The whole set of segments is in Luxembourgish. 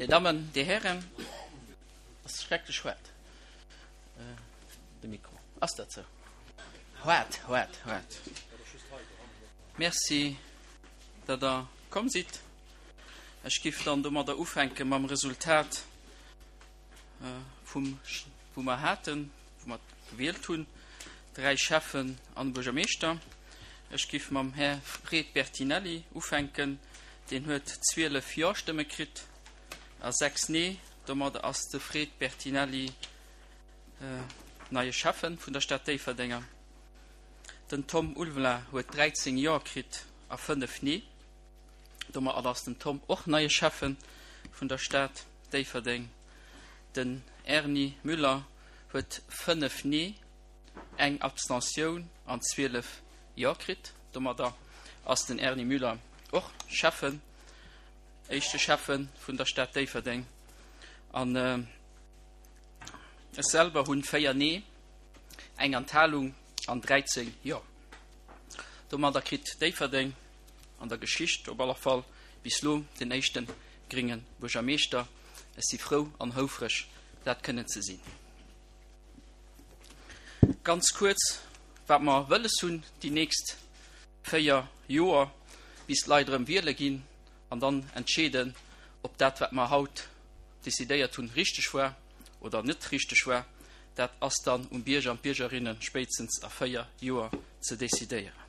Dir Dammen, Dir Hären, ass schrecklech haart, de Mikro. Ass dat sou? Haart, haart, haart. Merci, datt Der komm sidd. Ech giff dann domadder ufänke mam Resultat vum, wou mer haten, wou mer gewielt hunn, 3 Schäffen an e Buergermeeschter. Ech giff mam Här Fred Bertinelli ufänken. Deen huet 12 Jo-Stëmme kritt a 6 Nee. Domadder ass de Fred Bertinelli neie Schäffen vun der Stad Déifferdeng. Den Tom Ulvela huet 13 Jo kritt a 5 Nee. Domadder ass den Tom och neie Schäffen vun der Stad Déifferdeng. Den Erny Müller huet 5 Nee, eng Abstentioun an 12 Jo kritt. Domadder ass den Erny Müller och Schäffen, éischte Schäffe vun der Stad Déifferdeng. An ech selwer hunn 4 Nee, eng Enthalung an 13 Jo. Domadder kritt Déifferdeng an der Geschicht op aller Fall bis lo den éischte grénge Buergermeeschter. Ech si frou an houfreg, dat kënnen ze sinn. Ganz kuerz, wat mer wëlles hunn déi nächst 4 Joer, bis d'Leit erëm wiele ginn an dann entscheeden, ob dat, wat mer haut decidéiert hunn, richteg war oder net richteg war. Dat ass dann um Bierger an d'Biergerinne spéitstens a 4 Joer ze decidéieren.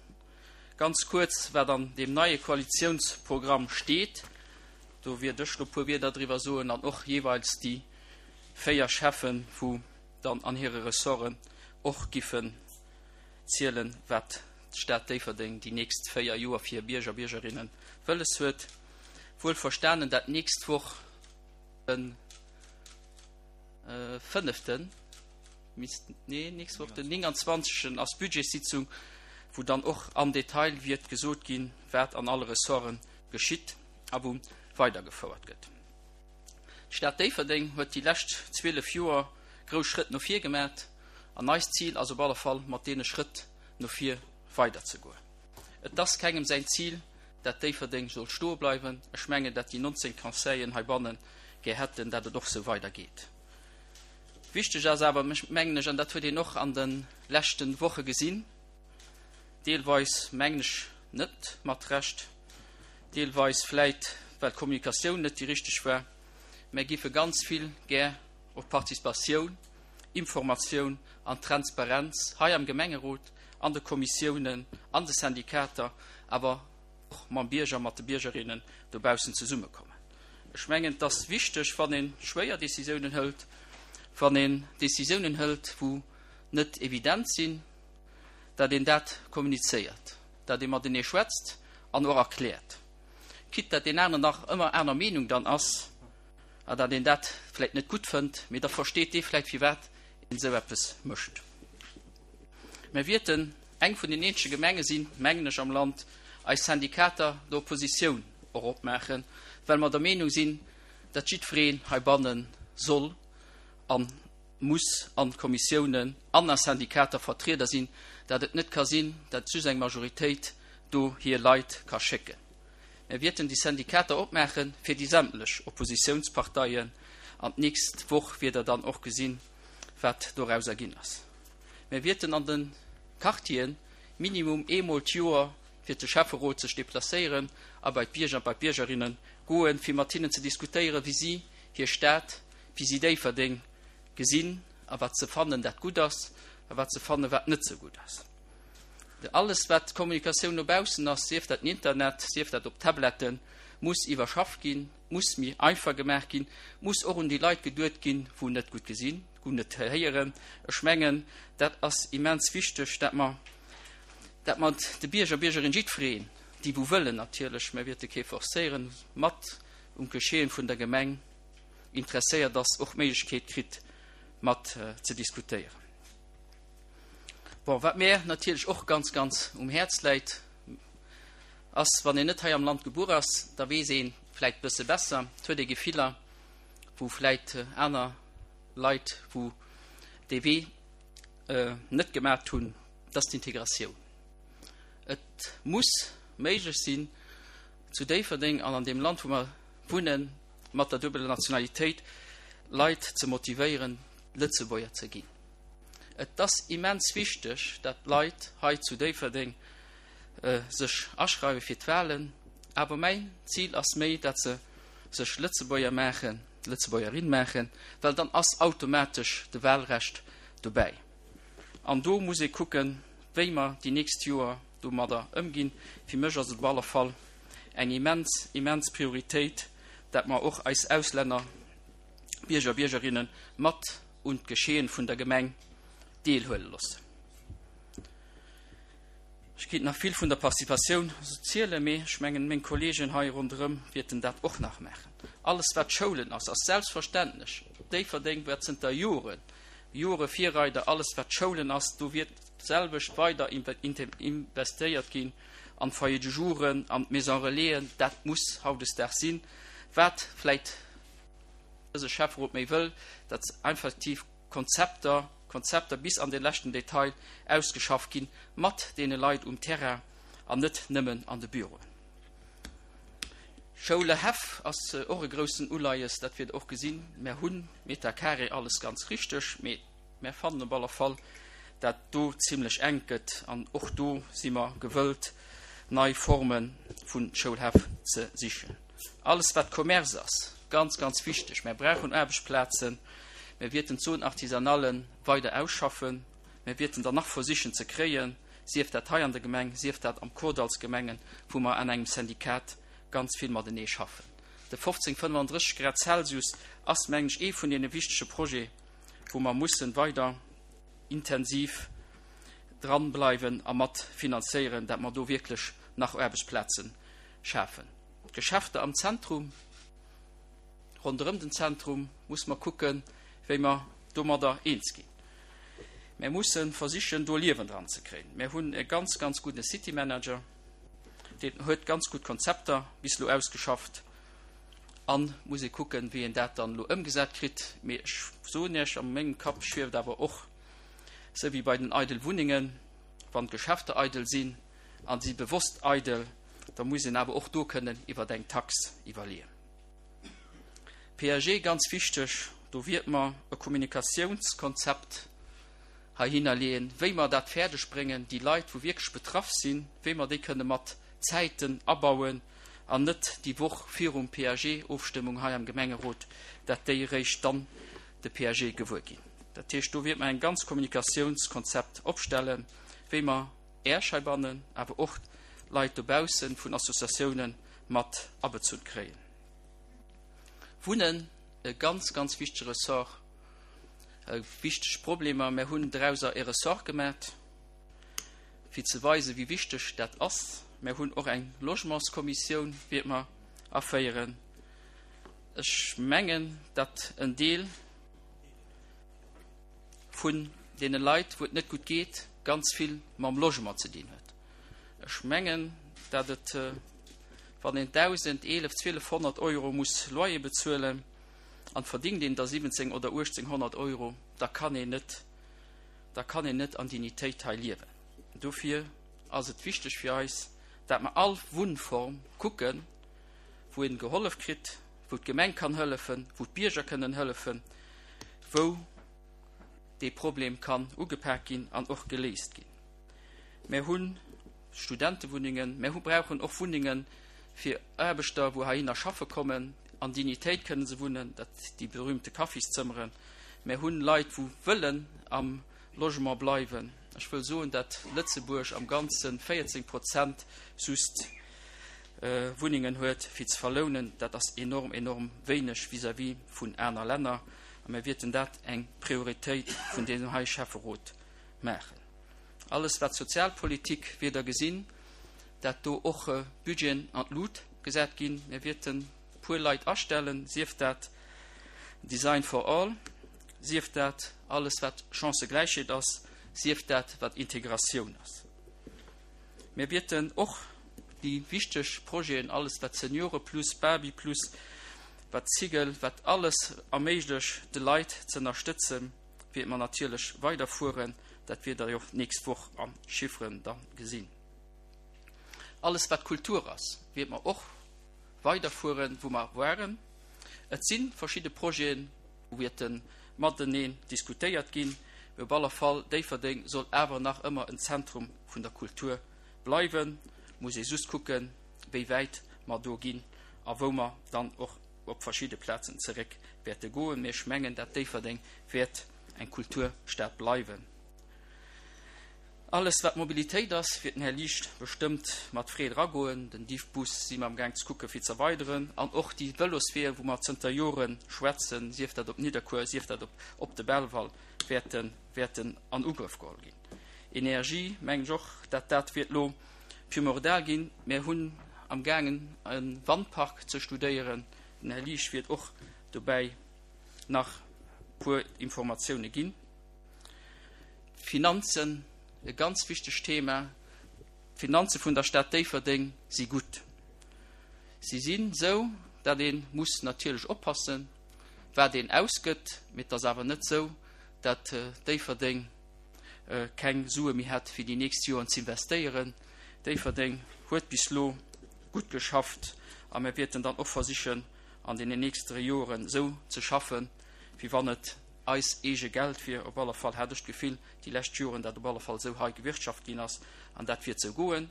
Ganz kuerz, wat an deem neie Koalitiounsprogramm steet, do wiert ech lo puer Wierder driwwer soen an och jeeweils déi 4 Schäffen, wou dann an hire Ressorten och giffen zielen, wat d'Stad Déifferdeng déi nächst 4 Joer fir hir Bierger a Biergerinnen wëlles huet. Wuel verstanen, dat d'nächst Woch de fënneften, misst, nee, nächst Woch den 29. ass Budgetssitzung, wou dann och am Detail wiert gesot ginn, wat an alle Ressorte geschitt a wou weidergefouert gëtt. D'Stad Déifferdeng huet déi lescht 12 Joer grouss Schrëtt no vir gemat an eist Zil ass op alle Fall mat deene Schrëtt no vir weiderzegoen. Et ass kengem säin Zil, dat Déifferdeng soll stoe bleiwen. Ech mengen, dat déi 19 Conseillen heibanne gär hätten, dat et och sou weidergeet. Wichteg ass awer, mengen ech, an dat huet een och an de leschte Woche gesinn, deelweis mengen ech net mat Recht, deelweis vläit well d'Kommunikatioun net déi richteg war, mär giffe ganz vill gär op Participatioun, Informatioun an Transparenz hei am Gemengerot, an de Kommissiounen, an de Syndikater, awer och mam Bierger, mat de Biergerinnen dobaussen zesummekommen. Ech mengen, et ass wichteg, wann ee schwéier Décisiounen hëlt, wann een Décisiounen hëlt, wou net evident sinn, dat een dat kommunizéiert, dat ee matenee schwätzt an och erkläert, quitte dat deen aneren nach ëmmer aner Meenung dann ass a dat een dat vläicht net gutt fënnt, mee da versteet dee vläicht, firwat een esou eppes mécht. Mir wierten eng vun den eenzege Gemenge sinn, mengen ech, am Land, eis Syndikater der Oppositioun och opmaachen, well mer der Meenung sinn, datt jiddwereen heibanne soll a muss an Kommissiounen an a Syndikater Vertrieder sinn, datt et net ka sinn, datt just eng Majoritéit do hir Leit ka schécken. Mir wierten déi Syndikater opmaache fir déi sämtlech Oppositiounsparteien an d'nächst Woch wiert Der dann och gesinn, wat dorauser ginn ass. Mir wierten an de Quartieren minimum eemol d'Joer fir de Schäfferot sech deplacéieren a bei d'Bierger an bei d'Biergerinne goen, fir mat hinnen ze diskutéieren, wéi si hir Stad, wéi si Déifferdeng gesinn a wat se fannen, dat gutt ass a wat se fannen, wat net sou gutt ass. Alles, wat Kommunikatioun no baussen ass, sief dat den Internet, sief dat op Tabletten, muss iwwerschafft ginn, muss méi einfach gemaach ginn, muss och un déi Leit geduet ginn, wou net gutt gesinn, gutt net héieren. Ech mengen, dat ass immens wichteg, dat mer dat mer de Bierger, Biergerin, jiddwereen, déi wou wëllen natierlech, mer wäerte kee forcéieren, mat um Geschehen vun der Gemeng interesséiert ass, och d'Méiglechkeet kritt, mat ze diskutéieren. Bon, wat mär natierlech och ganz, ganz um Häerz läit, ass, wann een net hei am Land gebuer ass, da weess ee vläit bësse besser, et huet ee Gefiller, wou vläit aner Leit, wou dee Wee net gemat hunn, dat ass d'Integratioun. Et muss méiglech sinn, zu Déifferdeng an an deem Land, wou mer wunnen, mat der duebeler Nationalitéit Leit ze motivéieren, Lëtzebuerger ze ginn. Et ass immens wichteg, dat d'Leit hei zu Déifferdeng sech aschreiwe fir d'Wahlen, awer mäin Zil ass méi, dat se sech Lëtzebuerger maachen, Lëtzebuergerin maachen, well dann ass automatesch de Wahlrecht dobäi. An do muss ee kucken, wéi mer déi nächst Joer domadder ëmginn. Fir mech ass et op alle Fall eng immens, immens Prioritéit, dat mer och eis Auslänner, Bierger, Biergerinne mat un d'Geschehen vun der Gemeng deelhuele loossen. Ech kéint nach vill vun der Participatioun zielen, mee ech mengen, meng Kolleegen hei ronderëm wierten dat och nach maachen. Alles, wat Schoulen ass, ass selbstverständlech. Déifferdeng war zënter Joren, Jore Virreider. Alles, wat Schoulen ass, do wiert d'selwecht weider investéiert ginn an d'Foyers de jouren, an d'Maisons relaisen. Dat muss hautdesdaags sinn. Wat vläicht dëse Schäfferot méi wëll, datt effektiv Konzepter, Konzepter bis an de leschten Detail ausgeschafft ginn, mat deene Leit um Terrain an net nëmmen an de Büroen. Schoulehäff ass och e groussen Uleies, dat wiert Der och gesinn. Mär hunn Meter carré, alles ganz richteg, mee mär fannen op alle Fall, dat do zimlech enk gëtt an och do si mer gewëllt, nei Forme vu Schoulhäff ze sichen. Alles wat Commerce ass, ganz, ganz wichteg. Mär brauchen Aarbechtsplazen. Mär wierten d'Zone artisanale weider ausschaffen. Mär wierten der nach versichen ze kréien, sief dat hei an der Gemeng, sief dat am Kordallsgemengen, wou mer an engem Syndikat ganz vill matenee schaffen. De 1535 Grad Celsius ass, mengen ech, ee vun deene wichtege Projete, wou mer mussen weider intensiv dran bleiwen a mat finanzéieren, dat mer do wierklech nach Aarbechtsplaze schafen. D'Geschäfter am Zentrum, ronderëm den Zentrum muss mer kucken, wéi mer domadder eens ginn. Mer musse versichen, do Liewen dran ze kréien. Mer hunn e ganz, ganz gudde City Manager, deen huet ganz gutt Konzepter bis elo ausgeschafft a muss ee kucken, wéi een dat dann elo ëmgesat kritt. Mee ech soen Iech, a mengem Kapp schwieft awer och, esou wéi bei den eidel Wunnengen, wann d'Geschäfter eidel sinn a si bewosst eidel, da muss een awer och do kënnen iwwer eng Tax iwwerleeën. PAG, ganz wichteg, do wiert mer e Kommunikatiounskonzept heihinner leeën, wéi mer dat fäerdeg bréngen, déi Leit, wou wierklech betraff sinn, wéi mer déi kënne mat Zäiten abauen an net déi Woch virum PAG-Ofstëmmung hei am Gemengerot, dat déi eréischt dann de PAG gewuer ginn. Dat heescht, do wiert mer eng ganz Kommunikatiounskonzept opstellen, wéi mer Äech heibannen, awer och Leit dobaussen vun Associatiounen mat abezunn kréien. Wunnen, e ganz, ganz wichtege Ressort, wichteg Problemer. Mär hunn drauser e Ressort gemat, fir ze weisen, wéi wichteg dat ass. Mär hunn och eng Logementskommissioun, wäert mer aféieren. Ech mengen, datt en Deel vun deene Leit, wou et net gutt geet, ganz vill mam Logement ze dinn huet. Ech mengen, datt et, wann een 1.000, 11, 1.200 Euro muss Loyer bezuelen an verdingt een der 17 oder 1.800 Euro, da kann een net, da kann een net an Dignitéit hei liewen. Dofir ass et wichteg fir eis, dat mer all Wunnform kucken, wou een gehollef kritt, wou d'Gemeng kann hëllefen, wou d'Bierger kënnen hëllefen, wou dee Problem kann ugepak ginn an och geléist ginn. Mär hu Studentewunnengen, mär hu brauchen och Wunnenge fir Aarbechter, wou heihinner schaffe kommen, an Dignitéit kënnen se wunnen, dat déi berühmte Kaffiszëmmeren. Mär hunn Leit, wou wëllen am Logement bleiwen. Ech wëll soen, dat Lëtzebuerg am Ganze 14 Prozent just Wunnengen huet fir ze verlounen. Dat ass enorm, enorm wéineg vis-à-vis vun aner Länner. A mir wierten dat eng Prioritéit vun deem hei Schäfferot maachen. Alles wat Sozialpolitik wier Der gesinn, dat do och Budgeten an d'Lut gesat ginn. Mir wierten e puer Leit astellen, sief dat Design for all, sief dat alles wat Chancëgläichheet ass, sief dat wat Integratioun ass. Mir wierten och déi wichteg Projeten, alles wat Seniore plus, Baby plus, wat Cigel, wat alles erméiglecht de Leit ze ënnerstëtzen, wierte mer natierlech weiderfueren. Dat wiert Der jo och d'nächst Woch a Chifferen da gesinn. Alles wat Kultur ass, wierte mer och weiderfueren, wou mer waren. Et si verschidde Projeten, wou wäerte mateneen diskutéiert ginn, mee op alle Fall, Déifferdeng soll awer nach ëmmer en Zentrum vun der Kultur bleiwen. Muss ee just kucken, wéi wäit mer do ginn a wou mer dann och op verschidde Plazen zeréck wäerte goen. Mee ech mengen, dat Déifferdeng wäert eng Kulturstad bleiwen. Alles wat Mobilitéit ass, wiert den Här Liesch bestëmmt mat Freed eragoen. Den Diffbus si mer am Gaang ze kucke fir ze erweideren an och déi Vëlosweeër, wou mer zënter Jore schwätzen, sief dat op Nidderkuer, sief dat op op de Belval, wäerten wäerten an Ugrëff geholl ginn. Energie, mengen ech och, dat dat wiert lo primordial ginn. Mir hunn am gaangen e Wandpark ze studéieren. Den Här Liesch wiert och dobäi nach puer Informatioune ginn. D'Finanzen, e ganz wichtegt Thema. D'Finanze vun der Stad Déifferdeng si gutt. Si sinn esou, datt ee muss natierlech oppassen, wat een ausgëtt, mee et ass awer net esou, datt Déifferdeng keng Sue méi hätt, fir déi nächst Joren z'investéieren. Déifferdeng huet bis elo gutt geschafft a mir wäerten dann och versichen, an deenen nächstere Joren esou ze schaffen, wéi wann et eis eege Geld wier. Op alle Fall hat ech d'Gefill déi lescht Joren, dat op alle Fall esou hei gewirtschaft ginn ass an dat wiert esou goen,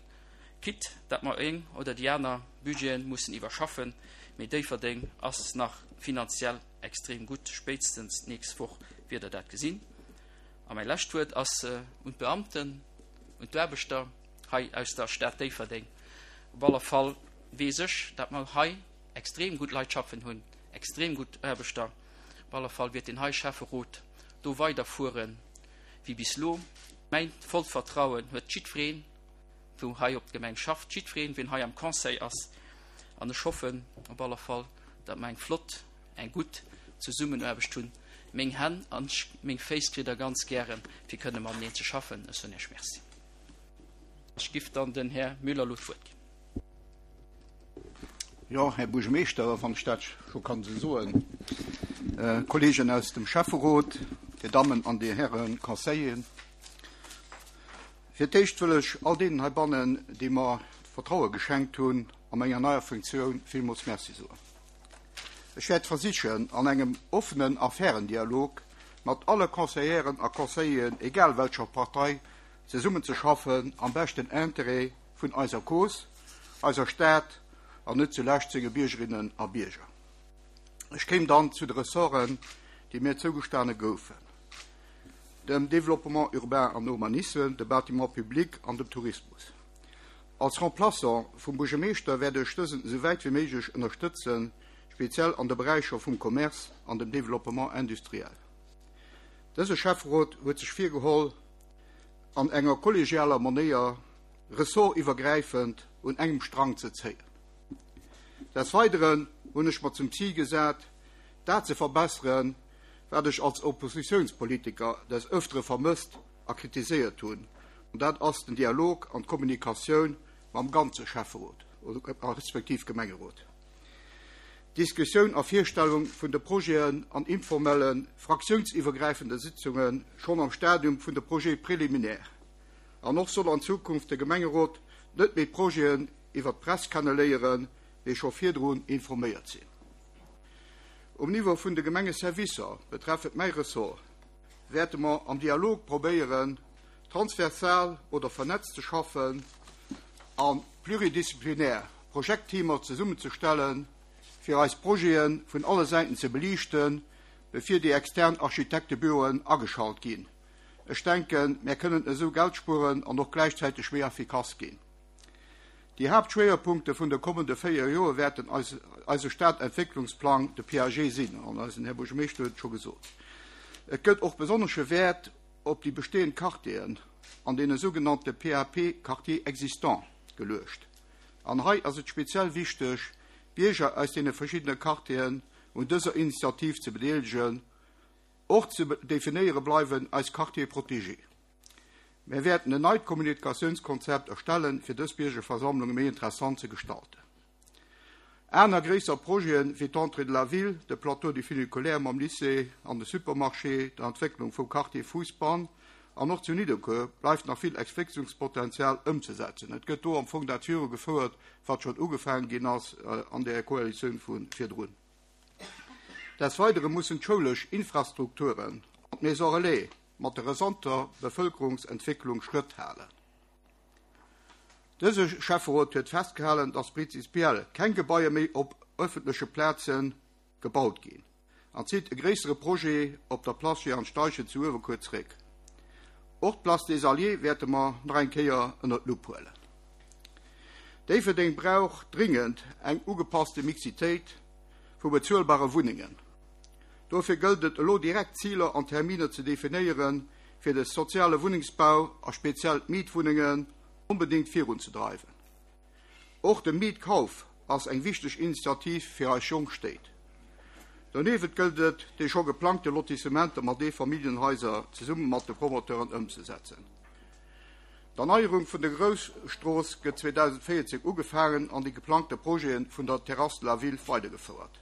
quitte dat mer een oder déi aner Budgeten mussen iwwerschaffen, mee Déifferdeng ass nach finanziell extrem gutt. Spéitstens d'nächst Woch wiert Der dat gesinn. A mäi lescht Wuert ass un d'Beamten, un d'Aarbechter hei aus der Stad Déifferdeng. Op alle Fall weess ech, dat mer hei extrem gutt Leit schaffen hunn, extrem gutt Aarbechter. Op alle Fall wiert deen hei Schäfferot do weider fuere wéi bis lo. Mäin vollt Vertrauen huet jiddwereen, wou hei op d'Gemeng schafft, jiddwereen, wien hei am Conseil ass. An ech hoffen op alle Fall, datt mer eng flott, eng gutt Zesummenaarbecht hunn. Meng Hänn an meng Féiss kritt Der ganz gären, fir kënne mateneen ze schaffen. Ech soen Iech Merci. Ech giff dann den Här Müller elo d'Wuert ginn. Jo, Här Buergermeeschter, wann ech dat scho kann esou soen, Kolleegen aus dem Schäfferot, Dir Dammen an Dir Häre Conseilleren, fir d'éischt wëll ech all deenen heibannen, déi mer d'Vertraue geschenkt hunn, a menger neier Funktioun villmools Merci soen. Ech wäert versichen, an engem offenen a fairen Dialog mat alle Conseilleren a Conseilleren, egal welcher Partei, zesummenzeschaffen am beschten Interêt vun eiser Cause, eiser Stad an net zulescht senge Biergerinnen a Bierger. Ech kéim dann zu de Ressorten, déi mir zougestane goufen, dem Développement urbain an Urbanisme, de Bâtiments publics an dem Tourismus. Als Remplaçant vum Buergermeeschter wäert ech dësen esou wäit wéi méiglech ënnerstëtzen, speziell an de Beräicher vum Commerce an dem Développement industriel. Dëse Schäfferot huet sech virgeholl, an enger kollegialer Manéier ressortiwwergräifend un engem Strang ze zéien. Des Weideren hunn ech mer zum Zil gesat, dat ze verbesseren, wat ech als Oppositiounspolitiker des Ëftere vermësst a kritiséiert hunn, an dat ass den Dialog an d'Kommunikatioun mam ganze Schäfferot respektiv Gemengerot. D'Diskussioun a Virstellung vun de Projeten an informelle fraktiounsiwwergräifende Sitzunge schonn am Stadium vun de Projets préliminaires. An och soll an Zukunft de Gemengerot net méi d'Projeten iwwer d'Press kenne léieren, mee scho virdrun informéiert sinn. Um Niveau vun de Gemengeservicer, betreffend mäi Ressort, wäerte mer am Dialog probéieren, transversal oder vernetzt ze schaffen a pluridisziplinär Projektteamer zesummenzestellen, fir eis Projete vun alle Säiten ze beliichten, bevir déi extern Architektebüroen ageschalt ginn. Ech denken, mär kënnen esou Geld spueren an och gläichzäiteg méi effikass ginn. Déi Haaptschwéierpunkte vun de kommende 4 Joer wäerten eise Stadentwécklungsplang, de PAG, sinn, an eisen Här Buergermeeschter huet et scho gesot. Et gëtt och besonnesche Wäert op déi bestehend Quartieren an deene sougenannte PAP Quartiers existants geluecht. An hei ass et speziell wichteg, d'Bierger aus deene verschiddene Quartieren un dëser Initiativ ze bedeelegen. Och ze definéiere bleiwen eis Quartiers protégés. Mär wäerten en neit Kommunikatiounskonzept erstellen, fir dës Biergerversammlunge méi interessant ze gestalten. Aner gréisser Projeten, wéi d'Entrée de la ville, de Plateau du funiculaire mam Lycée an de Supermarché, d'Entwécklung vum Quartier Fousbann an och zu Nidderkuer bleift nach vill Entwécklungspotenzial ëmzesetzen. Et gëtt do am Fong dat virugefouert, wat schonn ugefaangen ginn ass an där Koalitioun vu virdrun. Des Weidere mussen d'schoulesch Infrastrukturen an d'Maisons relais mat der rasanter Bevëlkerungsentwécklung Schrëtt halen. Dëse Schäfferot huet festgehalen, dass prinzipiell keng Gebaier méi op ëffentleche Plaze gebaut ginn an zitt e gréissere Projet op der Place Jehan Steichen zu Uewerkuer zréck. Och d'Place des Alliés wäerte mer nach eng Kéier ënnert d'Lupp huelen. Déifferdeng brauch dringend eng ugepasste Mixitéit vu bezuelbare Wunnengen. Dofir gëllt et elo direkt Ziler an Terminer ze definéieren, fir de soziale Wunnengsbau a speziell d'Mietwunnengen onbedéngt virunzedreiwen. Och de Mietkauf ass eng wichteg Initiativ fir eis jonk Stéit. Doniewent gëllt et, déi scho geplangte Lotissementer mat Eefamilljenhaiser zesumme mat de Promoteuren ëmzesetzen. D'Erneierung vun der Grousstrooss gëtt 2014 ugefaangen an déi geplangte Projete vun der Terrasse de la Ville weidergefouert.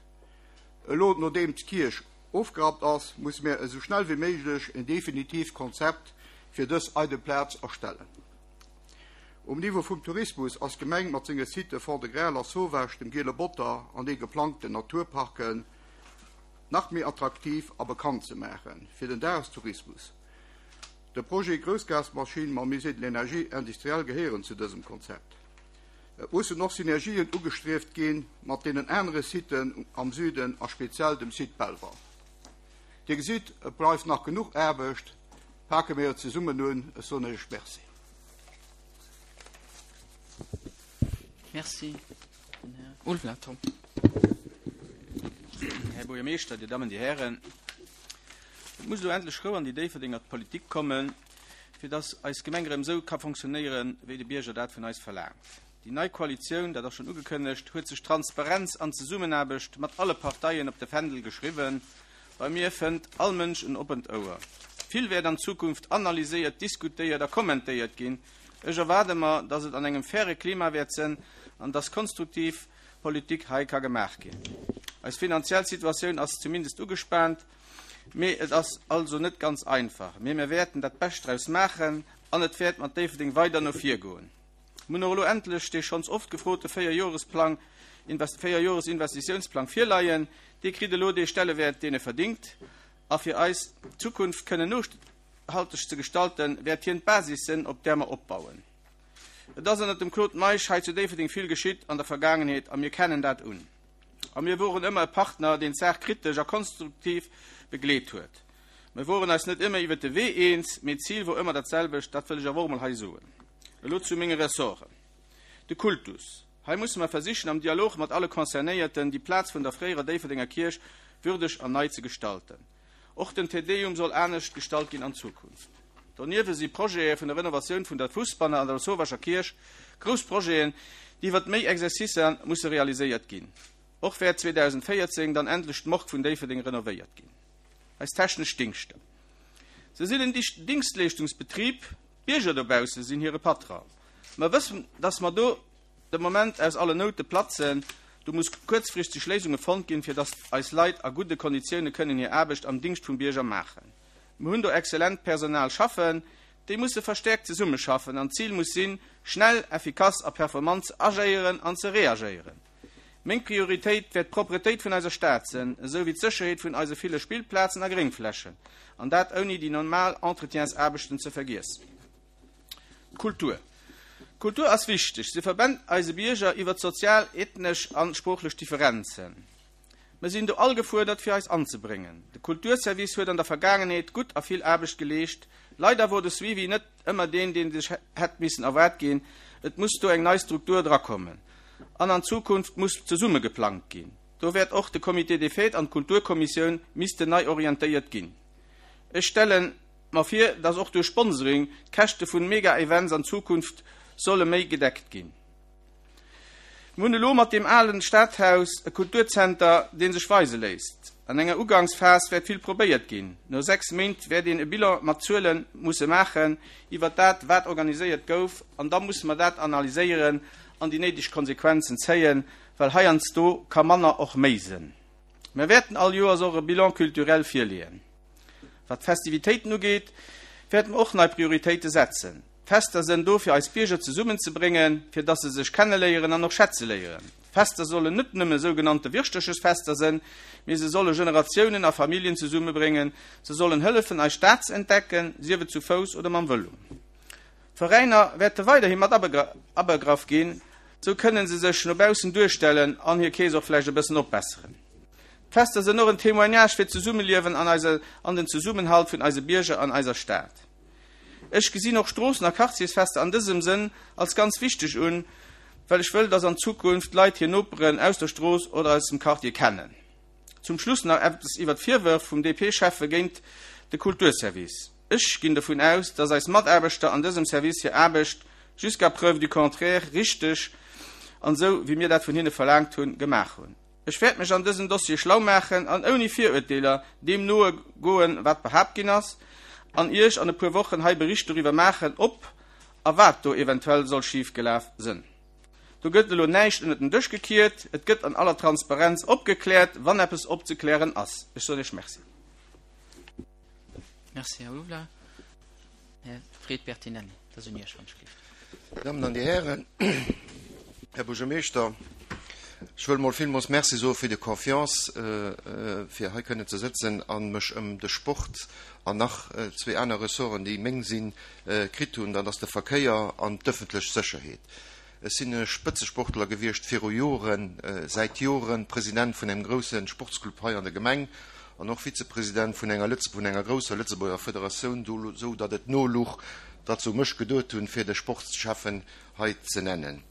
Elo, nodeem d'Kierch ofgerappt ass, musse mär esou schnell wéi méiglech en definitiivt Konzept fir dës eidel Plaz erstellen. Um Niveau vum Tourismus ass d'Gemeng mat senge Sitë Fond-de-Gras, Lasauvage, dem Giele Botter an de geplangten Naturparken nach méi attraktiv a bekannt ze maache fir den Dagestourismus. De Projet Groussgasmaschinn mam Musée de l'énergie industrielle gehéieren zu dësem Konzept. Et mussen och Synergien ugestrieft gi mat deenen anere Siten am Süden a speziell dem Site Belval. Dir gesitt, et bleift nach genuch Aarbecht. Pake mir et zesummen un. Ech soen Iech Merci. Merci. Den Här Ulveler Tom. Här Buergermeeschter, Dir Dammen, Dir Hären, et muss elo endlech Rou an déi Déifferdenger Politik kommen, fir dass eis Gemeng erëm esou ka fonctionnéieren, wéi de Bierger dat vun eis verlaangt. Déi nei Koalitioun, dat ass schonn ugekënnegt, huet sech Transparenz an Zesummenaarbecht mat alle Parteien op de Fändel geschriwwen. Bei mir fënnt all Mënsch en oppent Ouer. Vill wäert an Zukunft analyséiert, diskutéiert a kommentéiert ginn. Ech erwaarde mer, dass et an engem faire Klima wäert sënn an dass konstruktiv Politik hei ka gemaach ginn. Eis finanziell Situatioun ass zumindest ugespaant. Mee et ass also net ganz einfach. Mee mir wäerten dat Bescht draus maachen an et wäert mat Déifferdeng weider no vir goen. Mir hunn och elo endlech dee schonns oft gefrote Véierjoresplang, Véierjoresinvestitiounsplang virleien. Dee kritt elo dee Stellewäert, deen e verdingt. A fir eis Zukunft kënnen nohalteg ze gestalten, wäert hien d'Basis sënn, op där mer opbauen. Et ass ënnert dem Claude Meisch hei zu Déifferdeng vill geschitt an der Vergaangenheet a mir kennen dat un. A mir woren ëmmer e Partner, deen d'Saach kritesch a konstruktiv begleet huet. Mir woren eis net ëmmer iwwert de Wee eens, mee d'Zil wor ëmmer dat selwecht, dat wëll ech awer och emol hei soen. Elo zu menge Ressorten. De Kultus. Hei musse mer versichen, am Dialog mat alle Concernéierten, déi Plaz vun der fréierer Déifferdenger Kierch würdeg an nei ze gestalten. Och den Te Deum soll anescht gestalt ginn an Zukunft. Doniewwe si Projete vun der Renovatioun vun der Fussbanne an der Lasauvascher Kierch grouss Projeten, déi iwwert méi Exercicer musse realiséiert ginn. Och wäert 2014 dann endlech d'Morgue vun Déifferdeng renovéiert ginn. Eis technesch Dingschter. Se sinn en Dingschtleeschtungsbetrib, d'Bierger dobausse sinn hire Patron. Mer wëssen, dass mer do de Moment aus allen Noute platzen. Do muss kuerzfristeg Léisunge fonnt ginn, fir dass eis Leit a gudde Konditioune kënnen hir Aarbecht am Dingscht vum Bierger maachen. Mir hunn do exzellent Personal schaffen, déi musse verstäerkt zesummeschaffen an d'Zil muss sinn, schnell, effikass a performant ze agéieren an ze reagéieren. Meng Prioritéit wäert d'Propretéit vun eiser Stad sënn, esou wéi d'Sécherheet vun eise ville Spillplazen a Gréngflächen, an dat ouni déi normal Entretiensaarbechten ze vergiessen. D'Kultur. D'Kultur ass wichteg. Se verbennt eise Bierger iwwert sozial, ethnesch an sproochlech Differenzen. Mer sinn do all gefuerdert fir eis anzebréngen. De Kulturservice huet an der Vergaangenheet gutt a vill Aarbecht geleescht. Leider wor de Suivi net ëmmer deen, deen sech hätt missen erwaart ginn. Et muss do eng nei Struktur drakommen an an Zukunft muss zesumme geplangt ginn. Do wäert och de Comité des Fêtes an d'Kulturkommissioun missten nei orientéiert ginn. Ech stellen mer vir, dass och duerch Sponsoring d'Käschte vun Mega-Events an Zukunft solle méi gedeckt ginn. Mir hunn elo mat deem alen Stadhaus e Kulturzenter, dee sech weise léisst. An enger Ugangsphas wäert vill probéiert ginn. No 6 Méint wäert een e Bilan mat Zuele musse maachen iwwert dat, wat organiséiert gouf, an da musse mer dat analyséieren an déi néideg Konsequenzen zéien, well heiansdo ka manner och méi sënn. Mir wäerten all Joers och e Bilan culturel virleeën. Wat d'Festivitéiten ugeet, wäerte mer och nei Prioritéite setzen. D'Fester sënn do fir eis Bierger zesummen ze bréngen, fir dass se sech kenneléieren an och schätze léieren. Fester sollen net nëmme sougenannte Wirschterchesfester sënn, mee se solle Generatiounen a Familljen zesummebréngen, se sollen hëllefen eis Stad ze entdecken, sief et zu Fouss oder mam Vëlo. D'Veräiner wäerte weiderhi mat abegraff ginn, sou kënnen se sech no baussen duerstellen an hir Kees och vläicht e bëssen opbesseren. D'Fester sënn och en Témoignage fir d'Zesummeliewen an eise an den Zesummenhalt vun eise Bierger an eiser Stad. Ech gesinn och Stroossen a Quartiersfester an dësem Sënn als ganz wichteg un, well ech wëll, dass an Zukunft d'Leit hir Noperen aus der Strooss oder aus dem Quartier kennen. Zum Schluss nach eppes iwwer d'Virwërf vum DP-Schäffe géint de Kulturservice. Ech ginn dovun aus, dass eis Mataarbechter an dësem Service hir Aarbecht, jusqu'à preuve du contraire, richteg an esou wéi mir dat vun hinne verlaangt hunn, gemaach hunn. Ech wäert mech an dësem Dossier schlau maachen an ouni Viruerteeler deem noe goen, wat behaapt ginn ass, an Iech an e puer Wochen hei Bericht doriwwer maachen, ob a wat do eventuell soll schif gelaf sënn. Do gëtt elo näischt ënnert den Dësch gekiert, et gëtt an aller Transparenz opgekläert, wann eppes opzeklären ass. Ech soen Iech Merci. Merci, Här Houlard. Här Fred Bertinelli, dat ass un Iech, wann ech gelift. Dir Dammen an Dir Hären, Här Buergermeeschter, ech wëll mol villmools Merci soe fir déi Confiance, fir hei kënnen ze sëtzen a mech ëm de Sport an nach zwee aner Ressorten, déi meng sinn, kritt hunn. Dat ass de Verkéier an d'ëffentlech Sécherheet. Ech sinn e Spëtzesportler gewiescht viru Joren, säit Joren President vun engem grousse Sportsclub hei an der Gemeng an och Vizepresident vun enger vun enger grousser Lëtzebuerger Federatioun, sou datt et no luch, datt se u mech geduet hunn, fir de Sportschäffen hei ze nennen.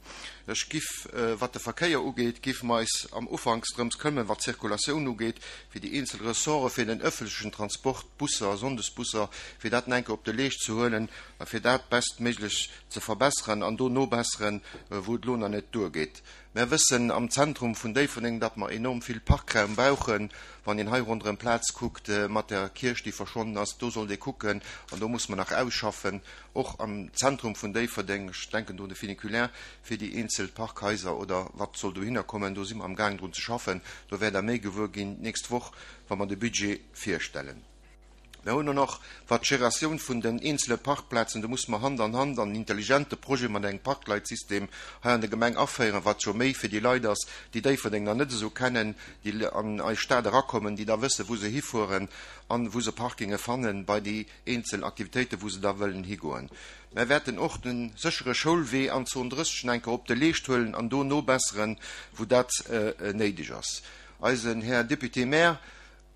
Ech giff, wat de Verkéier ugeet, giffe mer eis am Ufanks drëms këmmen, wat d'Zirkulatioun ugeet, fir déi eenzel Ressorte fir den ëffentlechen Transport, d'Busser, Sonndesbusser, fir dat enke op de Leescht ze huelen a fir dat bestméiglech ze verbesseren an do nobesseren, wou et elo nach net duergeet. Mär wëssen am Zentrum vun Déifferdeng, datt mer enorm vill Parkraum brauchen. Wann een hei ronderëm d'Plaz kuckt mat der Kierch, déi verschwonnen ass, do sollt ee kucken an do muss mer nach ausschaffen, och am Zentrum vun Déifferdeng, ech denken do un de Funiculaire, fir déi eenzel Parkhaiser oder wat soll dohinner kommen. Do si mer amgaang drun ze schaffen. Do wäert Der méi gewuer ginn d'nächst Woch, wa mer de Budget virstellen. Mer hunn och nach, wat d'Geratioun vun den eenzele Parkplazen, do musse mer Hand an Hand an en intelligente Projet mat engem Parkleitsystem hei an der Gemeng aféieren, wat jo méi fir déi Leit ass, déi Déifferdeng nach net esou kennen, déi an eis Stad erakommen, déi da wëssen, wou se hifueren an wou se Parkinge fannen bei déi eenzel Aktivitéiten, wou se da wëllen higoen. Mer wäerten och de séchere Schoulwee an Zon 30 enker op de Leescht huelen an do nobesseren, wou dat néideg ass. Eisen Här Député-maire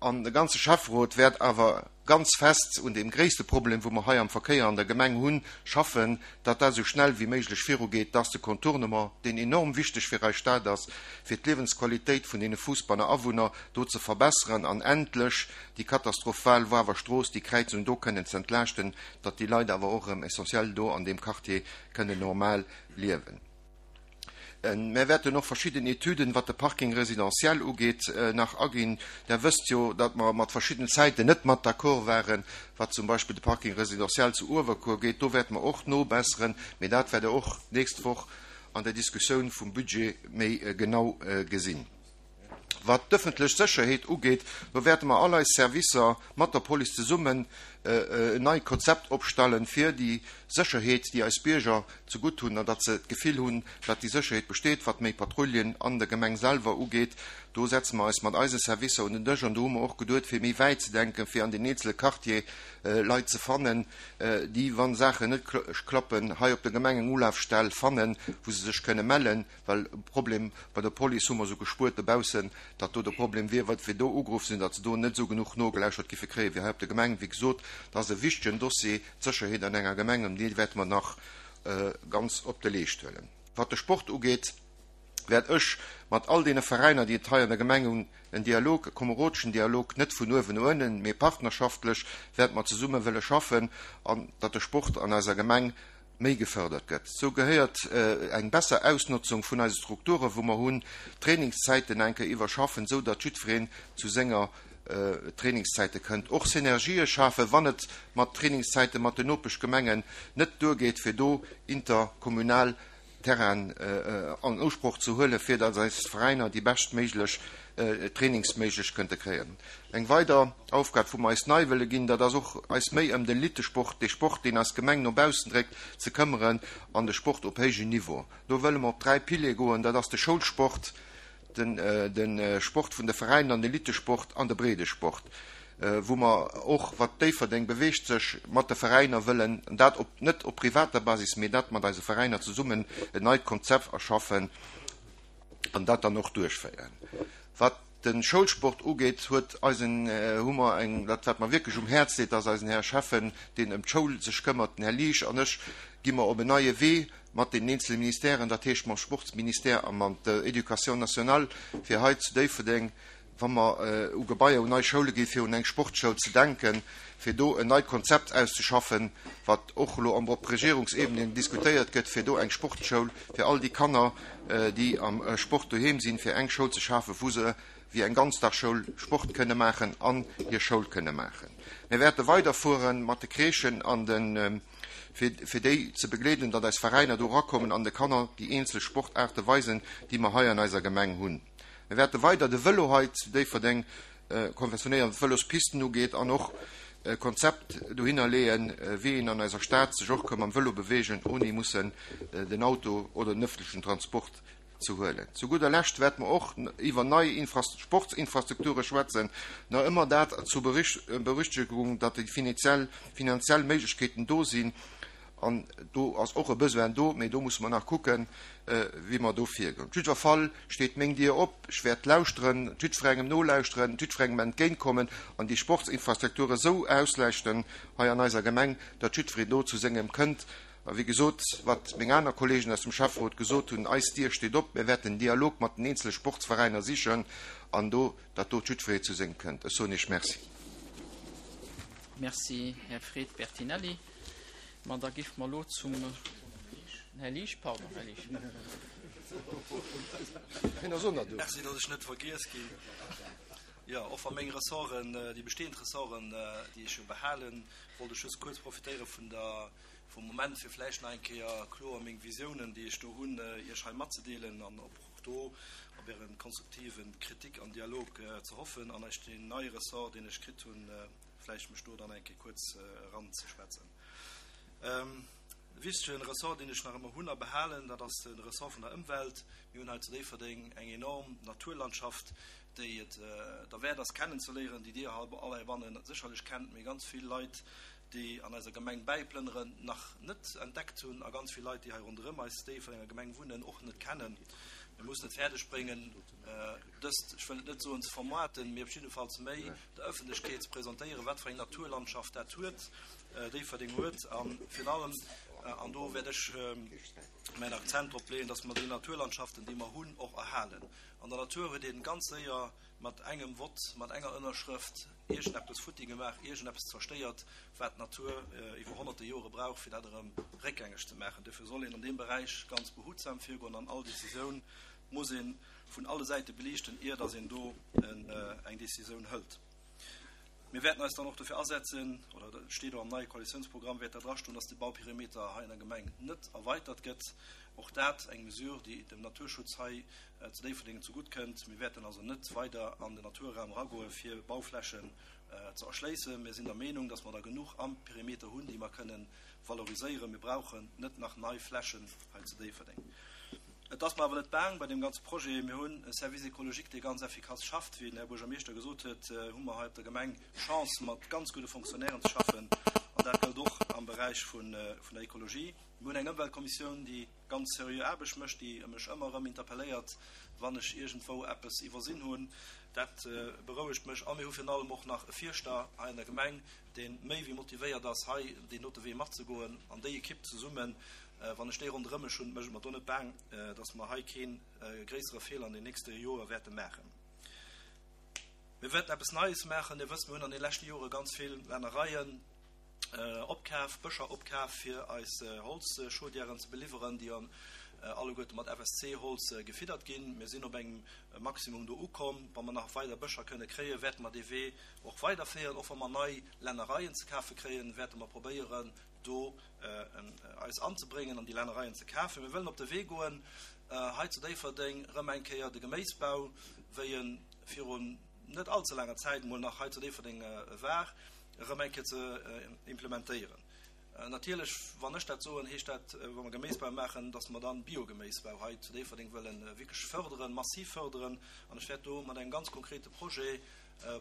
An de ganze Schäfferot wäert awer ganz fest un deem gréisste Problem, wou mer hei am Verkéier an der Gemeng hunn, schaffen, datt dat esou schnell wéi méiglech virugeet, dass de Contournement, deen enorm wichteg fir eis Stad ass, fir d'Liewensqualitéit vun deene Fuussbanner Awunner do ze verbesseren an endlech déi katastrophal Wawer Strooss, déi Kräizung do kënnen ze entlaaschten, datt déi Leit awer och erëm essentiell do an deem Quartier kënnen normal liewen. Mär wäerten och verschidden Etüden, wat de Parking résidentiel ugeet, nach aginn. Der wësst jo, datt mer mat verschidden Zäiten net mat d'accord waren, wat zum Beispill de Parking résidentiel zu Uewerkuer ugeet. Do wäerte mer och nobesseren, mee dat wäert Der och d'nächst Woch an der Diskussioun vum Budget méi genau gesinn. Wat d'ëffentlech Sécherheet ugeet, do wäerte mer all eis Servicer mat der Police zesummen en neit Konzept opstellen, fir déi Sécherheet, déi eis Bierger zegutt hunn, an datt se d'Gefill hunn, datt déi Sécherheet besteet. Wat méi Patrouillen an der Gemeng selwer ugeet, do setze mer eis mat eise Servicer un den Dësch an do hu mer och geduet, fir méi wäit ze denken, fir an den eenzele Quartiere Leit ze fannen, déi, wa Saachen net klappen, hei op der Gemeng eng Ulafstell fannen, wou se sech kënne mellen. Well e Problem bei der Police hu mer esou gespuert dobaussen, datt do de Problem wier, wat fir do ugeruff sinn, datt se do net esou genuch nogelauschert giffe kréien, wéi hei op der Gemeng. Wéi gesot, dat ass e wichtegen Dossier, d'Sécherheet an enger Gemeng, an dee wäerte mer nach ganz op de Leescht huelen. Wat de Sport ugeet, wäert ech mat all deene Veräiner, déi et hei an der Gemeng hunn, en Dialog, e komerodeschen Dialog, net vun uewen no ënnen, mee partnerschaftlech wäerte mer zesumme wëlle schaffen, an datt de Sport an eiser Gemeng méi gefördert gëtt. Sou gehéiert eng besser Ausnotzung vun eise Strukturen, wou mer hunn, d'Trainingszäiten eng Kéier iwwerschaffen, sou datt jiddwereen zu senger Trainingszäite kënnt. Och Synergië schafen, wann et mat Trainingszäite mat den Nopeschgemengen net duergeet, fir do interkommunal. Terrainen an Usproch ze huelen, fir datt eis Veräiner déi beschtméiglech Trainingsméiglech kënnte kréien. Eng weider Aufgab, wou mer eis nei wëlle ginn, dat ass och eis méi ëm den Elitesport, dee Sport, deen eis Gemeng no baussen dréckt, ze këmmeren an de Sport op héijem Niveau. Do wëlle mer op 3 Piliere goen, dat ass de Schoulsport, de Sport vun de Veräiner an Elitesport an de Breedesport, wou mer och, wat Déifferdeng beweegt sech, mat de Veräiner wëllen, dat op net op privater Basis, mee dat mat eise Veräiner zesummen en neit Konzept erschaffen an dat dann och duerchféieren. Wat de Schoulsport ugeet, huet eisen, hu mer eng, dat wat mer wierklech um Häerz leet, ass eisen Här Schäffen, deen ëm d'Schoul sech këmmert, den Här Liesch an ech, gi mer op en neie Wee mat deenen eenzele Ministèren, dat heescht mam Sportsministère a mat der Éducation nationale, fir hei zu Déifferdeng, wa mer u Gebaier, un nei Schoule ginn, fir un eng Sportsschoul ze denken, fir do en neit Konzept auszeschaffen, wat och elo op Regierungsebene diskutéiert gëtt, fir do eng Sportsschoul fir all déi Kanner, déi am Sport doheem sinn, fir eng Schoul ze schafen, wou se wéi eng Ganzdagsschoul Sport kënne maachen an hir Schoul kënne maachen. Mir wäerte weiderfuere mat de Crèchen an de. fir déi ze begleeden, datt eis Veräiner do erakommen an de Kanner déi eenzel Sportaarte weisen, déi mer hei an eiser Gemeng hunn. Mir wäerte weider de Vëlo hei zu Déifferdeng konventionéieren, wat d'Vëlospisten ugeet, an och e Konzept dohinner leeën, wéi een an eiser Stad sech och ka mam Vëlo beweegen, ouni mussen den Auto oder den ëffentlechen Transport ze huelen. Zu gudder Lescht wäerte mer och iwwer nei Sportsinfrastrukture schwätzen, nach ëmmer dat zur Berüchtegung, datt déi finanziell Méiglechkeeten do sinn. An do ass och e Besoin do, mee do musse mer nach kucken, wéi mer do virgoen. Op jiddwer Fall steet meng Dier op. Ech wäert lauschteren, jiddwerengem nolauschteren, jiddwerengem entgéintkommen an déi Sportsinfrastrukture esou auslechten hei an eiser Gemeng, datt jiddwereen do zu sengem kënnt. A wéi gesot, wat meng aner Kollegen aus dem Schäfferot gesot hunn, eis Dier steet op, mir wäerten den Dialog mat den eenzele Sportsveräiner sichen an do, datt do jiddweree zu sengem kënnt. Ech soen Iech Merci. Merci, Här Fred Bertinelli. Ma da géife mer elo zum Här Liesch, pardon, Här Liesch. Hien ass och nach do. Merci, datt ech net vergiess ginn. Jo, och wa meng Ressorten, déi bestehend Ressorten, déi ech jo behalen, wollt ech just kuerz profitéiere vun der, vum Moment, fir vläicht nach eng Kéier kloer meng Visiounen, déi ech do hunn, Iech hei matzedeelen an och do op Äre konstruktive Kritik an Dialog ze hoffen an Iech deen neie Ressort, deen ech kritt hunn, vläicht mech do dann eng Kéier kuerz eranzeschwätzen. E wichtege Ressort, deen ech nach ëmmer hunn a behalen, dat ass de Ressort vun der Ëmwelt. Mir hunn hei zu Déifferdeng eng enorm Naturlandschaft, déi et derwäert ass kennenzeléieren, déi Dir all heibanne sécherlech kennt, mee ganz vill Leit, déi an eiser Gemeng bäiplënneren, nach net entdeckt hunn a ganz vill Leit, déi hei ronderëm eis Déifferdenger Gemeng wunnen, och net kennen. Mir mussen et fäerdeg bréngen, dëst, ech wëll et net soen ze vermoarten, mee op jiddefalls méi der Ëffentlechkeet ze presentéieren, wat fir eng Naturlandschaft dat huet, Déifferdeng huet. A virun allem, an do wäert ech mäin Akzent drop leeën, dass mer déi Naturlandschaften, déi mer hunn, och erhalen. An der Natur huet een ganz séier mat engem Vott, mat enger Ënnerschrëft iergendeppes futti gemaach, iergendeppes zerstéiert, wat d'Natur iwwer honnerte Jore brauch, fir dat erëm réckgängeg ze maachen. Duerfir soll een an deem Beräich ganz behutsam virgoen an all Décisioun muss ee vun alle Säite beliichten, ier dass een do eng Décisioun hëlt. Mir wäerten eis dann och dofir asetzen, oder et steet och am neie Koalitiounsprogramm, wäert dat drastoen, dass de Bauperimeter hei an der Gemeng net erweitert gëtt. Och dat eng Mesure, déi dem Naturschutz hei zu Déifferdeng zegutt kënnt. Mir wäerten also net weider an den Naturraum eragoe fir Bauflächen ze erschléissen. Mir sinn der Meenung, dass mer der genuch am Perimeter hunn, déi mer kënnen valoriséieren. Mir brauchen net nach nei Flächen hei zu Déifferdeng. Et ass mer awer net baang bei deem ganze Projet. Mir hunn e Service écologique, dee ganz effikass schafft. Wéi den Här Buergermeeschter gesot huet, hu mer hei op der Gemeng d'Chance, mat ganz gudde Fonctionnairen ze schaffen. An dat gëllt och am Beräich vun der Ekologie. Mir hunn eng Ëmweltkommissioun, déi ganz seriö Aarbecht mécht, déi mech ëmmer erëm interpelléiert, wann ech iergendwou eppes iwwersinn hunn. Dat berouegt mech. A mir hu virun allem och nach e Fierschter hei an der Gemeng, dee méi wéi motivéiert ass, hei deen dote Wee matzegoen. An déi Ekipp zesummen, Wann ech déi ronderëm mech hunn, mécht et mer do net baang, datt mer hei kee gréissere Feeler an den nächste Joere wäerte maachen. Mir wäerten eppes Neies maachen. Dir wësst, mir hunn an de leschte Jore ganz vill Lännereien opkaf, Bëscher opkaf, fir eis Holzchaudièren ze beliwweren, déi jo alleguerte mat FSC-Holz gefiddert ginn. Mir sinn op engem Maximum do ukomm. Wa mer nach weider Bëscher kënne kréien, wäerte mer dee Wee och weiderféieren. Och wa mer nei Lännereien ze kafe kréien, wäerte mer probéieren,. do eis anzebréngen an déi Lännereien ze kafen. Mir wëllen op de Wee goen, hei zu Déifferdeng erëm eng Kéier de Geméisbau, wéi e virun net allze laanger Zäit emol nach hei zu Déifferdeng war, erëm eng Kéier ze implementéieren. Natierlech, wann ech dat soen, heescht dat, wa mer Geméisbau maachen, dass mer dann Biogeméisbau hei zu Déifferdeng wëlle wierklech fërderen, massiv fërderen. An ech wäert do mat engem ganz konkrete Projet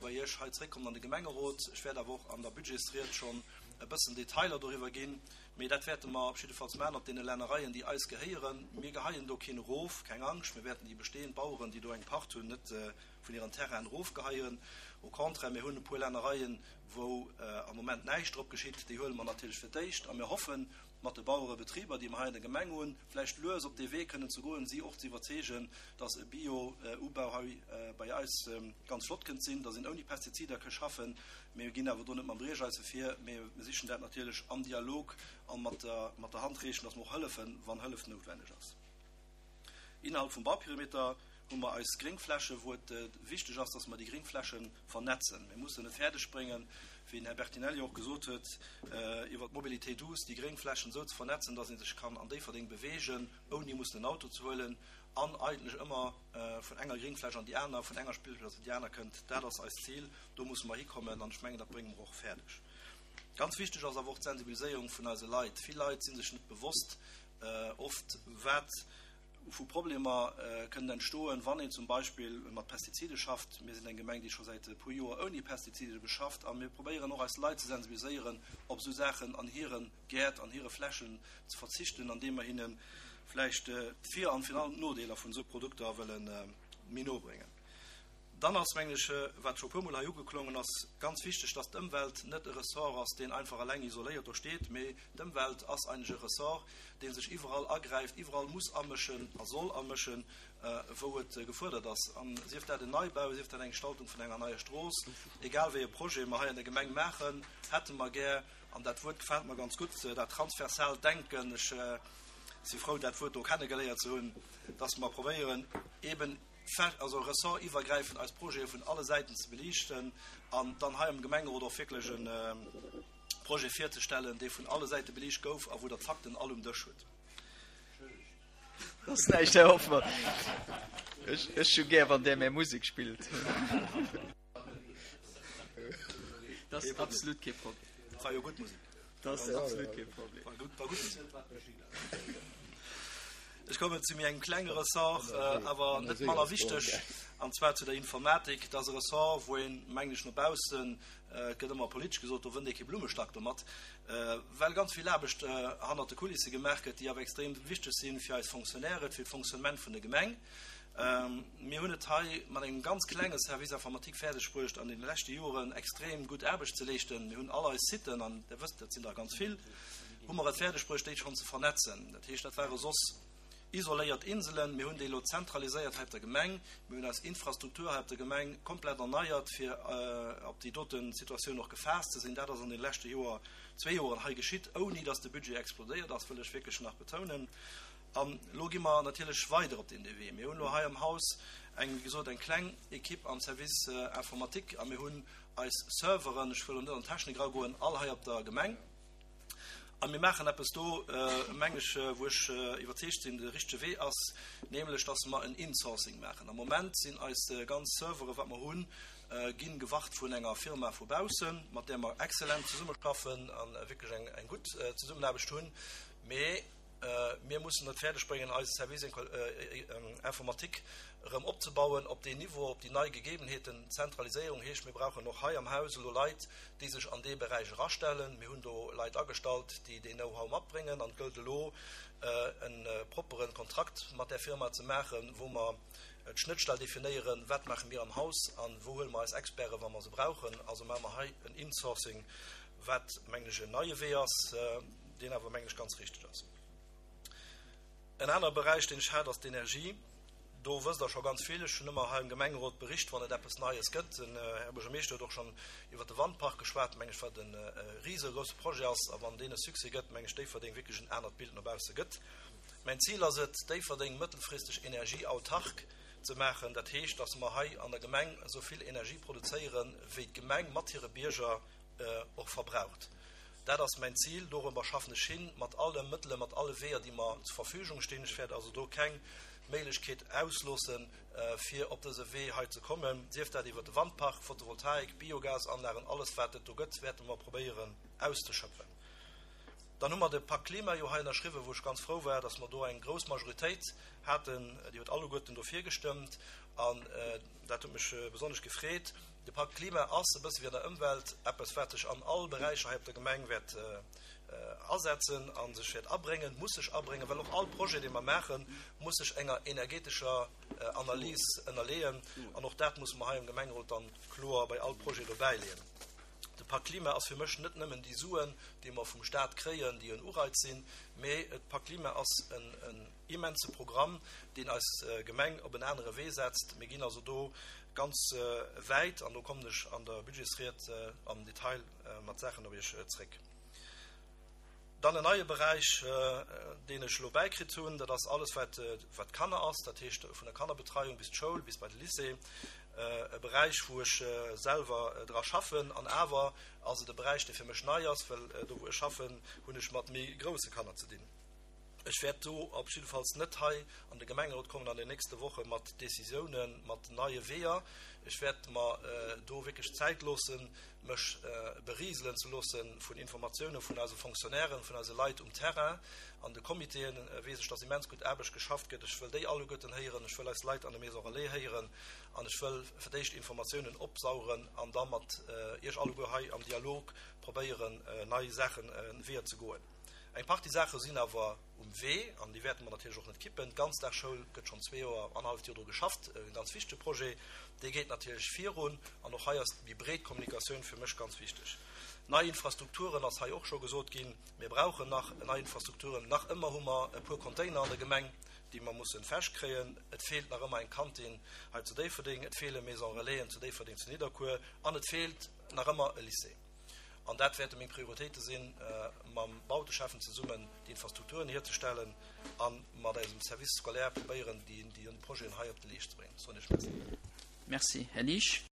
bei Iech hei zréckkommen an de Gemengerot. Ech wäert awer och an der Budgetsried schonn e bëssen Detailer doriwwer ginn. Mee dat wäerte mer op jiddefalls maachen op deene Lännereien, déi eis gehéieren. Mir geheien do keen erof, keng Angscht. Mir wäerten déi bestehend Baueren, déi do eng Pacht hunn, net vun hiren Terrainen erofgeheien. Au contraire, mir hunn e puer Lännereien, wou am Moment näischt drop geschitt. Déi huele mer natierlech fir d'éischt a mir hoffen, mat de Bauerebetriber, déi mer hei an der Gemeng hunn, vläicht lues op dee Wee kënnen ze goen, si och ze iwwerzeegen, dass e Bio-Ubau hei bei eis ganz flott kënnt sinn, dass een ouni Pestizider ka schaffen. Mir ginn awer do net mam Briecheise vir, mee mir sichen dat natierlech am Dialog a mat der Hand reechen, dass mer och hëllefen, wann Hëllef noutwenneg ass. Innerhalb vum Bauperimeter hu mer eis Gréngflächen, wou et wichteg ass, dass mer déi Gréngfläche vernetzen. Mir mussen et fäerdeg bréngen, wéi den Här Bertinelli och gesot huet, iwwert d'Mobilité douce déi Gréngflächen esou ze vernetzen, dass ee sech kann an Déifferdeng beweegen, ouni mussen en Auto ze huelen an eigentlech ëmmer vun enger Gréngfläch an déi aner, vun enger Spillplaz an déi aner kënnt. Dat ass eist Zil. Do musse mer hikommen an ech mengen, dat brénge mer och fäerdeg. Ganz wichteg ass awer och d'Sensibiliséierung vun eise Leit. Vill Leit si sech net bewosst oft, wat vu Problemer kënnen entstoen, wann een zum Beispill mat Pestizide schafft. Mir sinn eng Gemeng, déi scho säit e puer Joer ouni Pestizide beschafft a mir probéieren och eis Leit ze sensibiliséieren, op esou Saachen an hire Gäert, an hire Flächen ze verzichten, andeem mer hinne vläicht d'Vir an virun allem d'Nodeeler vun esou Produkter wëlle méi no bréngen. Dann ass, mengen ech, wat scho e puermol hei ugeklongen ass, ganz wichteg, dass d'Ëmwelt net e Ressort ass, deen einfach eleng isoléiert do steet, mee d'Ëmwelt ass eigentlech e Ressort, dee sech iwwerall agräift, iwwerall muss amëschen a soll amëschen, wou et gefuerdert ass. A sief dat en Neibau, sief dat eng Gestaltung vun enger neier Strooss, egal wéi e Projet mer hei an der Gemeng maachen, hätte mer gär, an dat Wuert gefält mer ganz gutt, dat transversaalt Denken, ech si frou, dat Wuert do kennegeléiert ze hunn, dass mer probéieren, eeben, also ressortiwwergräifend eis Projete vun alle Säiten ze beliichten an dann hei am Gemengerot och wierklech e Projet virzestellen, dee vun alle Säite beliicht gouf a wou Der d'Fakten all um Dësch hutt. Soss näischt, Här Hoffmann. Ech hu gär, wann Der mär Musek spillt. Dat ass absolut kee Problem. Dat war jo gutt Musek. Dat ass absolut kee Problem. War gutt, war gutt Musek. Ech kommen zu méi engem klenge Ressort, awer net manner wichteg, an zwar zu der Informatik. Dat ass e Ressort, wou een, mengen ech, no baussen, et gëtt ëmmer politesch gesot, do wënnt ee kee Blummestack domat, well ganz vill Aarbecht hannert de Kulisse gemaach gëtt, déi awer extrem wichteg si fir eis Fonctionnairen, fir d'Fonctionnement vun der Gemeng. Mir hunn et hei mat engem ganz klenge Service informatique fäerdeg bruecht, an deene leschte Joren extrem gutt Aarbecht ze leeschten. Mir hunn all eis Siten, an Der wësst, dat sinn der ganz vill, hu mer et fäerdeg bruecht, déi schonn ze vernetzen. Dat heescht, dat ware soss isoléiert Inselen. Mir hunn déi elo zentraliséiert hei op der Gemeng. Mir hunn eis Infrastruktur hei op der Gemeng komplett erneiert, fir op déi dote Situatioun och gefaasst ze sinn. Dat ass an deene leschte Joer, zwee Joren hei geschitt, ouni datt de Budget explodéiert ass, wëll ech wierklech nach betounen. An elo gi mer natierlech weider op deen Wee. Mir hunn elo hei am Haus eng, wéi gesot, eng kleng Equipe am Service informatique a mir hunn eis Serveren, ech wëll elo net an d'Technik eragoen, all hei op der Gemeng. A mir maachen eppes do, meng ech, wou ech iwwerzeegt sinn, de richtege Wee ass, nämlech dass mer en Insourcing maachen. Am Moment sinn eis ganz Servere wat mer hunn, gi gewart vun enger Firma vu baussen, mat där mer exzellent zesummeschaffen a wierklech eng gutt Zesummenaarbecht hunn. Mee Mir mussen et fäerdeg bréngen, eise Service informatique erëm opzebauen op deen Niveau, op déi nei Gegebenheeten. Zentraliséierung heescht, mir brauchen och hei am Haus elo Leit, déi sech an dee Beräich erastellen. Mir hunn do Leit agestallt, déi deen Know-how matbréngen. An et gëllt elo, e proppere Kontrakt mat där Firma ze maachen, wou mer d'Schnëttstell definéieren, Wat maache mir am Haus a wou huele mer eis Experten, wa mer se brauchen? Also maache mer hei en Insourcing, wat, mengen ech, en neie Wee ass. deen awer, mengen ech, ganz richteg ass. En anere Beräich, deen ech hat, ass d'Energie. Do wësst Der scho ganz vill. Ech hunn ëmmer hei am Gemengerot bericht, wann et eppes Neies gëtt. Den Här Buergermeeschter huet och schonn iwwert de Wandpark geschwat, mengen ech, wat e risegrousse Projet ass. A wann deen e Succès gëtt, mengen ech, Déifferdeng wierklech en anert Bild no bausse gëtt. Mäin Zil ass et, Déifferdeng mëttelfristeg energieautark ze maachen. Dat heescht, dass mer hei an der Gemeng esou vill Energie produzéieren, wéi d'Gemeng mat hire Bierger och verbraucht. Dat ass mäin Zil, dorobber schaffen ech hin, mat alle Mëttele, mat alle Weeër, déi mer zur Verfügung stinn. Ech wäert also do keng Méiglechkeet ausloossen, fir op dëse Wee hei ze kommen, sief dat iwwert de Wandpark, Photovoltaik, Biogasanlagen, alles wat et do gëtt, wäerte mer probéieren auszeschöpfen. Dann hu mer de Pakt Klima jo hei ënnerschriwwen, wou ech ganz frou war, dass mer do eng grouss Majoritéit haten, déi huet alleguerten dofir gestëmmt an dat huet mech besonnesch gefreet. De Pakt Klima ass, e bësse wéi an der Ëmwelt, eppes wat sech an all Beräicher hei op der Gemeng wäert asetzen a sech wäert abréngen, muss sech abréngen, well och all Projet, dee mer maachen, muss sech enger energetescher Analys ënnerleeën an och dat musse mer hei am Gemengerot dann kloer bei all Projet dobäileeën. De Pakt Klima ass fir mech net nëmmen déi Suen, déi mer vum Staat kréien, déi en Ureiz sinn, mee de Pakt Klima ass en immense Programm, deen eis Gemeng op en anere Wee setzt. Mir ginn also do ganz wäit an do kommen ech an der Budgetsried am Detail mat Saachen op Iech zréck. Dann en neie Beräich, deen ech elo bäikritt hunn, dat ass alles, wat wat Kanner ass, dat heescht vun der Kannerbetreiung bis d'Schoul, bis bei de Lycée. E Beräich, wou ech selwer dra schaffen. An awer ass et e Beräich, dee fir mech nei ass, well do, wou ech schaffen, hunn ech mat méi grousse Kanner ze dinn. Ech wäert do op jiddefalls net hei an de Gemengerot kommen an den nächste Woche mat Décisiounen, mat neie Weeër. Ech wäert mer do wierklech Zäit loossen, mech beriselen ze loosse vun Informatiounen vun eise Fonctionnairen, vun eise Leit um Terrain. An de Comitéen weess ech, dass immens gutt Aarbecht geschafft gëtt. Ech wëll déi alleguerten héieren. Ech wëll eis Leit an de Maisons Relais héieren an ech wëll fir d'éischt Informatiounen opsaugen an da mat Iech alleguer hei am Dialog probéieren, nei Saachen, Weeër ze goen. Eng Partie Saache sinn awer um Wee an déi wäerte mer natierlech och net kippen. D'Ganzdagsschoul gëtt schonn zwee Joer, annerhalleft Joer dru geschafft, e ganz wichtege Projet. Dee geet natierlech virun an och hei ass déi breet Kommunikatioun fir mech ganz wichteg. Nei Infrastrukturen ass hei och scho gesot ginn. Mir brauchen nach nei Infrastrukturen. Nach ëmmer hu mer e puer Container an der Gemeng, déi mer mussen fesch kréien. Et feelt nach ëmmer eng Kantin hei zu Déifferdeng, et feele Maison Relaisen zu Déifferdeng, zu Nidderkuer an et feelt nach ëmmer e Lycée. An dat wäerte meng Prioritéite sinn, mam Bauteschäffen zesummen déi Infrastrukturen hierzestellen a mat eisem Service scolaire probéieren, déi Projeten hei op de Leescht ze bréngen. Soen Iech Merci. Merci, Här Liesch.